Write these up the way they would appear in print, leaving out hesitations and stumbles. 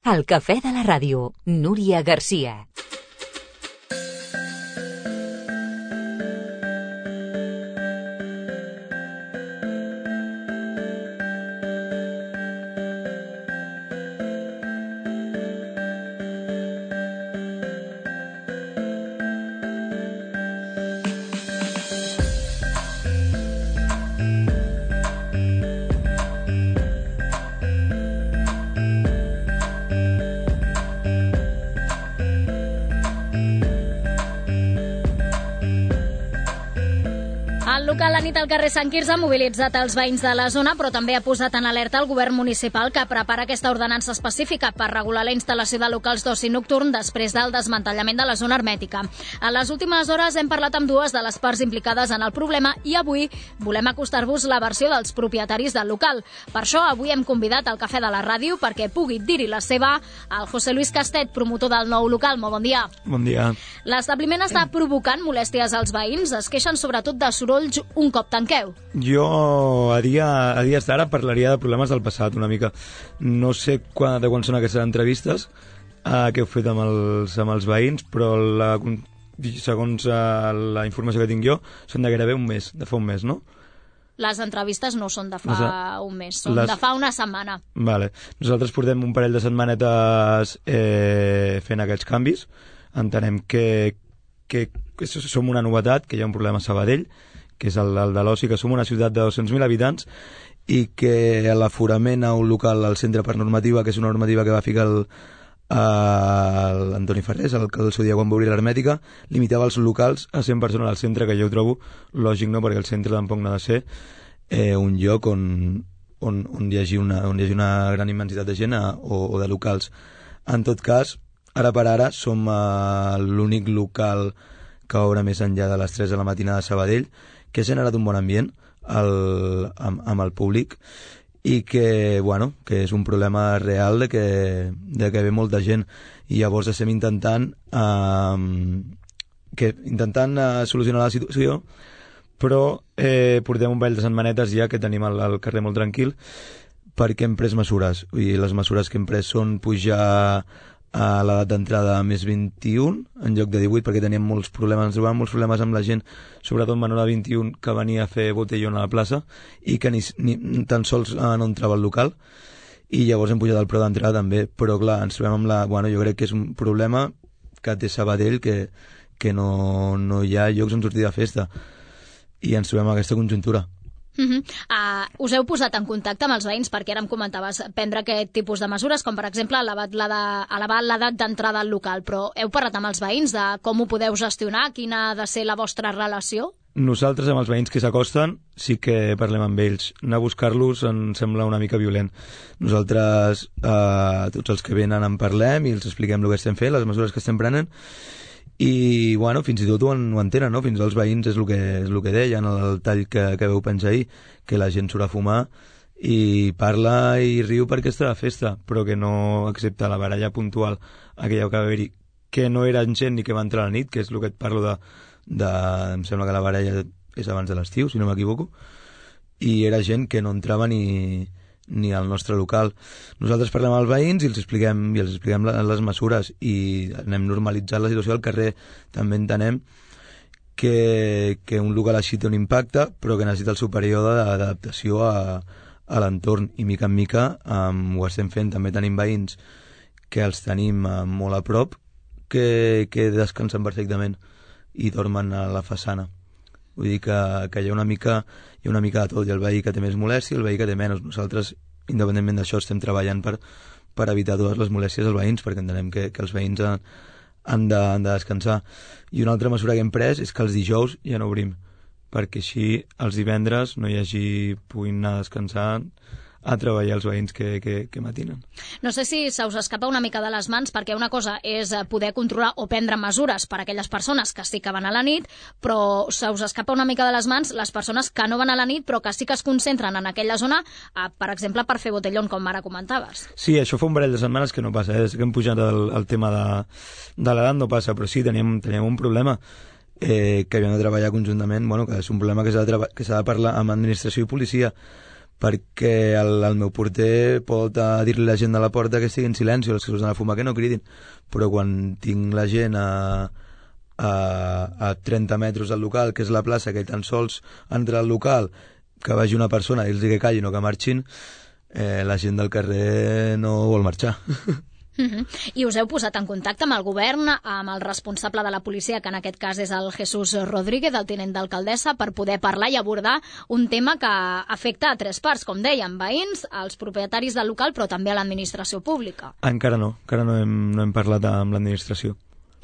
El cafè de la ràdio, Núria Garcia. El local La nit al carrer Sant Quirze ha mobilitzat els veïns de la zona, però també ha posat en alerta el govern municipal, que prepara aquesta ordenança específica per regular la instal·lació de locals d'oci nocturn després del desmantellament de la zona hermètica. A les últimes hores hem parlat amb dues de les parts implicades en el problema i avui volem acostar-vos la versió dels propietaris del local. Per això avui hem convidat al Cafè de la Ràdio perquè pugui dir-hi la seva al José Luis Castet, promotor del nou local. Molt bon dia. Bon dia. L'establiment està provocant molèsties als veïns, es queixen sobretot de sorolls un cop tanqueu. Jo a dies d'ara parlaria de problemes del passat una mica. No sé de quan són aquestes entrevistes que heu fet amb els veïns, però segons la informació que tinc jo són de gairebé un mes, de fa un mes, no? Les entrevistes no són de fa un mes, són de fa una setmana. Vale. Nosaltres portem un parell de setmanetes fent aquests canvis. Entenem que som una novetat, que hi ha un problema a Sabadell, que és el de l'oci, que som una ciutat de 200.000 habitants i que l'aforament a un local al centre per normativa, que és una normativa que va ficar l'Antoni Ferrés, el seu dia quan va obrir l'hermètica, limitava els locals a 100 persones al centre, que jo ho trobo lògic, no? Perquè el centre tampoc no ha de ser un lloc on hi hagi una gran immensitat de gent o de locals. En tot cas, ara per ara som l'únic local que obre més enllà de les 3 de la matinada a Sabadell, que ha generat un bon ambient amb el públic i que és un problema real de que ve molta gent, i llavors estem intentant solucionar la situació, però portem un parell de setmanetes ja que tenim el carrer molt tranquil perquè hem pres mesures, i les mesures que hem pres són pujar a l'edat d'entrada a més 21 en lloc de 18, perquè teníem molts problemes, ens trobàvem molts problemes amb la gent, sobretot menor de 21, que venia a fer botellón a la plaça i que ni tan sols no entrava al local, i llavors hem pujat el preu d'entrada també, però clar, ens trobem amb jo crec que és un problema que té Sabadell, que no hi ha llocs on sortir de festa, i ens trobem amb aquesta conjuntura. Us heu posat en contacte amb els veïns perquè ara em comentaves prendre aquest tipus de mesures, com per exemple elevar l'edat d'entrada al local, però heu parlat amb els veïns de com ho podeu gestionar, quina ha de ser la vostra relació? Nosaltres amb els veïns que s'acosten sí que parlem amb ells. Anar a buscar-los ens sembla una mica violent. Nosaltres, tots els que venen en parlem i els expliquem el que estem fent, les mesures que estem prenent, i fins i tot ho entenen, no? Fins als veïns és el que deien, el tall que veu penjar ahir, que la gent surt a fumar i parla i riu perquè està de festa, però que no accepta la baralla puntual aquella que va haver-hi, que no era gent ni que va entrar a la nit, que és el que et parlo em sembla que la baralla és abans de l'estiu, si no m'equivoco, i era gent que no entrava ni al nostre local. Nosaltres parlem amb els veïns i els expliquem les mesures i anem normalitzant la situació al carrer. També entenem que un local així té un impacte, però que necessita el seu període d'adaptació a l'entorn, i mica en mica ho estem fent. També tenim veïns que els tenim molt a prop, que descansen perfectament i dormen a la façana. Vull dir que hi ha una mica de tot, i el veí que té més molèstia, el veí que té menys. Nosaltres, independentment d'això, estem treballant per evitar totes les molèsties als veïns, perquè entenem que els veïns han de descansar. I una altra mesura que hem pres és que els dijous ja no obrim, perquè així els divendres puguin anar a descansar, a treballar els veïns que matinen. No sé si se us escapa una mica de les mans, perquè una cosa és poder controlar o prendre mesures per a aquelles persones que sí que van a la nit, però se us escapa una mica de les mans les persones que no van a la nit però que sí que es concentren en aquella zona, per exemple, per fer botellón, com ara comentaves. Sí, això fa un parell de setmanes que no passa, des que hem pujat el tema de l'edat no passa, però sí, teníem un problema que havíem de treballar conjuntament, que és un problema que s'ha de parlar amb administració i policia, perquè el meu porter pot dir-li a la gent de la porta que estigui en silenci, els que surten a fumar que no cridin, però quan tinc la gent a 30 metres del local, que és la plaça, que tan sols entra al local, que vagi una persona i els digui que callin o que marxin, la gent del carrer no vol marxar. I us heu posat en contacte amb el govern, amb el responsable de la policia, que en aquest cas és el Jesús Rodríguez, el tinent d'alcaldessa, per poder parlar i abordar un tema que afecta a tres parts, com dèiem, veïns, als propietaris del local, però també a l'administració pública. Encara no hem parlat amb l'administració.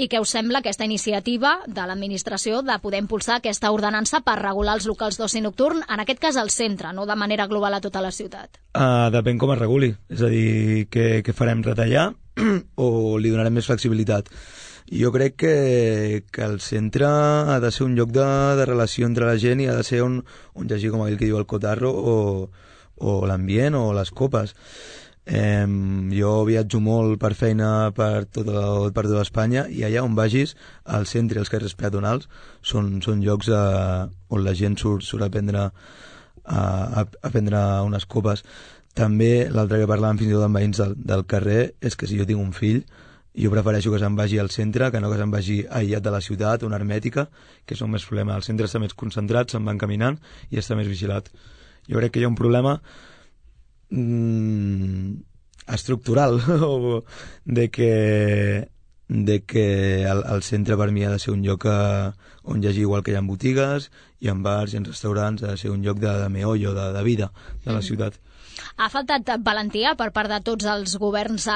I què us sembla aquesta iniciativa de l'administració de poder impulsar aquesta ordenança per regular els locals d'oci nocturn, en aquest cas al centre, no de manera global a tota la ciutat? Depèn com es reguli, és a dir, què farem, retallar o li donarem més flexibilitat? Jo crec que el centre ha de ser un lloc de relació entre la gent i ha de ser on hi hagi, com aquell que diu, el cotarro o l'ambient o les copes. Jo viatjo molt per feina per tota Espanya i allà on vagis, al centre i els carrers peatonals són llocs on la gent surt a prendre unes copes. També l'altre que parlàvem fins i tot amb veïns del carrer és que si jo tinc un fill, jo prefereixo que se'n vagi al centre que no que se'n vagi aïllat de la ciutat, una hermètica, que és un més problema. Al centre està més concentrat, se'n van caminant i està més vigilat. Jo crec que hi ha un problema estructural de que el centre per mi ha de ser un lloc on hi hagi, igual que hi ha botigues, hi ha bars, hi ha restaurants, ha de ser un lloc de meollo, de vida de la ciutat. Ha faltat valentia per part de tots els governs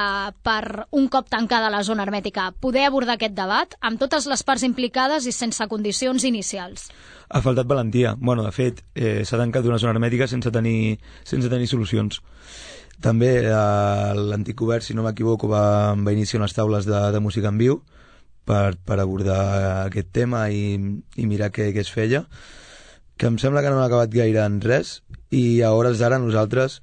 per, un cop tancada la zona hermètica, poder abordar aquest debat amb totes les parts implicades i sense condicions inicials? Ha faltat valentia. Bueno, de fet, s'ha tancat una zona hermètica sense tenir solucions. També l'antic govern, si no m'equivoco, va iniciar unes taules de música en viu per abordar aquest tema i mirar què es feia, que em sembla que no han acabat gaire en res, i a hores d'ara nosaltres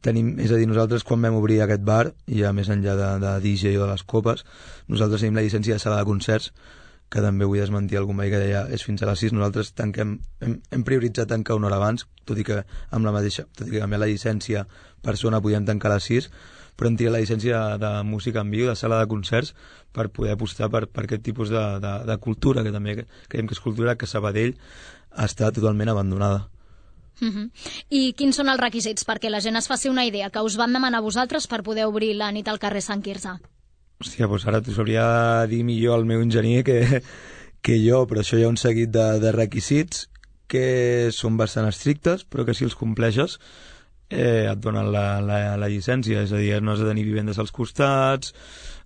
tenim, és a dir, nosaltres quan vam obrir aquest bar, ja més enllà de DJ o de les copes, nosaltres tenim la llicència de sala de concerts, que també vull desmentir algun veí que deia és fins a les 6, nosaltres hem prioritzat tancar una hora abans, tot i que amb la llicència per zona podíem tancar a les 6, però hem tirat la llicència de música en viu, de sala de concerts, per poder apostar per aquest tipus de cultura, que també creiem que és cultura que Sabadell està totalment abandonada. I quins són els requisits perquè la gent es faci una idea que us van demanar vosaltres per poder obrir la nit al carrer Sant Quirze? Hòstia, doncs ara t'ho sabria dir millor el meu enginyer que jo, però això hi ha un seguit de requisits que són bastant estrictes, però que si els compleixes et donen la llicència, és a dir, no has de tenir vivendes als costats,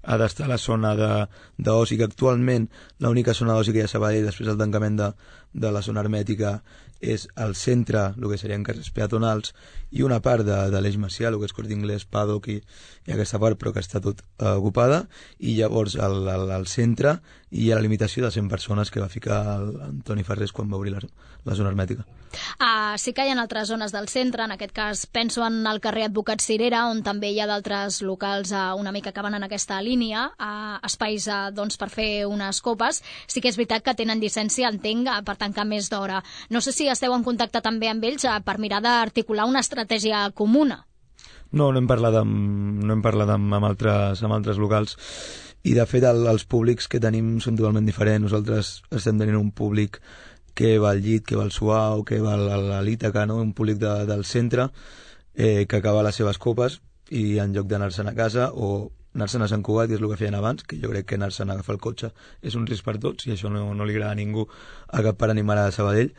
ha d'estar a la zona d'oci, que actualment l'única zona d'oci que hi ha a Sabadell després del tancament de la zona hermètica és al centre, el que serien carrers peatonals, i una part de l'Eix Macià, el que és Corte Inglés, Paddock i aquesta part, però que està tot ocupada, i llavors al centre hi ha la limitació de 100 persones que va ficar Antoni Ferrés quan va obrir la zona hermètica. Sí que hi ha altres zones del centre, en aquest cas penso en el carrer Advocat Cirera, on també hi ha d'altres locals una mica que van en aquesta línia, espais doncs, per fer unes copes. Sí que és veritat que tenen llicència, entenc, per tancar més d'hora. No sé si esteu en contacte també amb ells per mirar d'articular una estratègia comuna. No hem parlat amb altres locals, i de fet els públics que tenim són totalment diferents. Nosaltres estem tenint un públic que va al llit, que va al suau, que va a l'Ítaca, no? Un públic del centre que acaba les seves copes i en lloc d'anar-se'n a casa o anar-se'n a Sant Cugat, que és el que feien abans, que jo crec que anar-se'n a agafar el cotxe és un risc per tots i això no li agrada a ningú, a cap pare ni mare de Sabadell.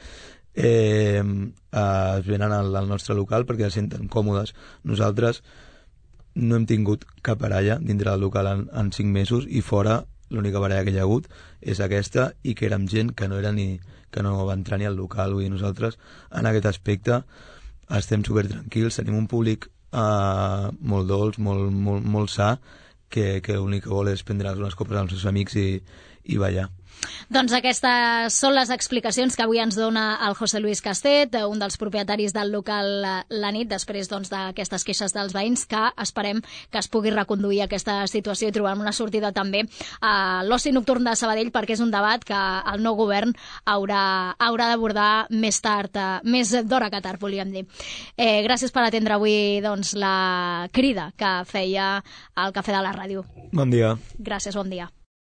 Es venen al nostre local perquè es senten còmodes. Nosaltres no hem tingut cap baralla dintre del local en 5 mesos i fora l'única baralla que hi ha hagut és aquesta, i que érem gent que no va entrar ni al local. Vull dir, nosaltres en aquest aspecte estem supertranquils, tenim un públic molt dolç, molt sa, que l'únic que vol és prendre unes copes amb els seus amics i ballar. Doncs aquestes són les explicacions que avui ens dona el José Luis Castet, un dels propietaris del local La Nit, després d'aquestes queixes dels veïns, que esperem que es pugui reconduir aquesta situació i trobar una sortida també a l'oci nocturn de Sabadell, perquè és un debat que el nou govern haurà d'abordar més tard, més d'hora que tard, volíem dir. Gràcies per atendre avui la crida que feia el Cafè de la Ràdio. Bon dia. Gràcies, bon dia.